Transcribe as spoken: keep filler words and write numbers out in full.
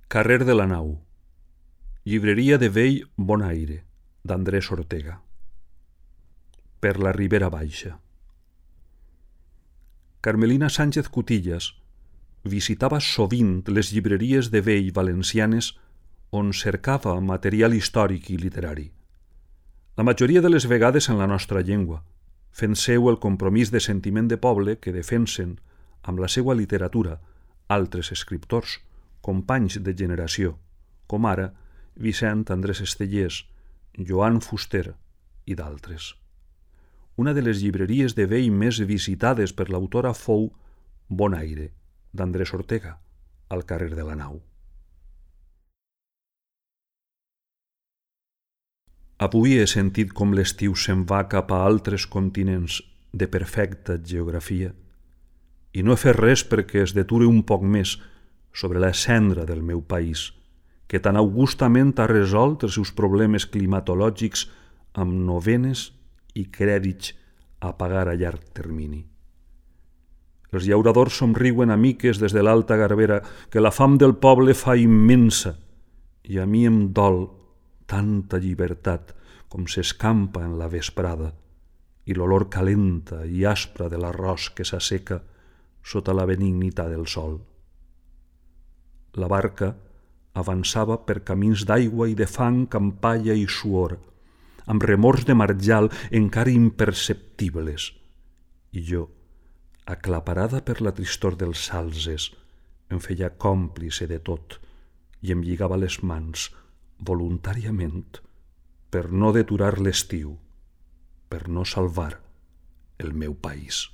Carrer de la Nau, llibreria de vell Bonaire, d'Andrés Ortega. Per la Ribera Baixa. Carmelina Sánchez Cutillas visitava sovint les llibreries de vell valencianes on cercava material històric i literari. La majoria de les vegades en la nostra llengua, fent seu el compromís de sentiment de poble que defensen amb la seva literatura altres escriptors, companys de generació, com ara Vicent Andrés Estellés, Joan Fuster i d'altres. Una de les llibreries de vell més visitades per l'autora fou Bonaire, d'Andrés Ortega, al carrer de la Nau. Avui he sentit com l'estiu se'n va cap a altres continents de perfecta geografia i no he fet res perquè es deture un poc més sobre la cendra del meu país, que tan augustament ha resolt els seus problemes climatològics amb novenes i crèdits a pagar a llarg termini. Els llauradors somriuen a miques des de l'Alta Garbera que la fam del poble fa immensa i a mi em dol tanta llibertat com s'escampa en la vesprada i l'olor calenta i aspra de l'arròs que s'asseca sota la benignitat del sol. La barca avançava per camins d'aigua i de fang amb palla i suor, amb remors de marjal encara imperceptibles, i jo, aclaparada per la tristor dels salzes, em feia còmplice de tot i em lligava les mans voluntàriament per no deturar l'estiu, per no salvar el meu país.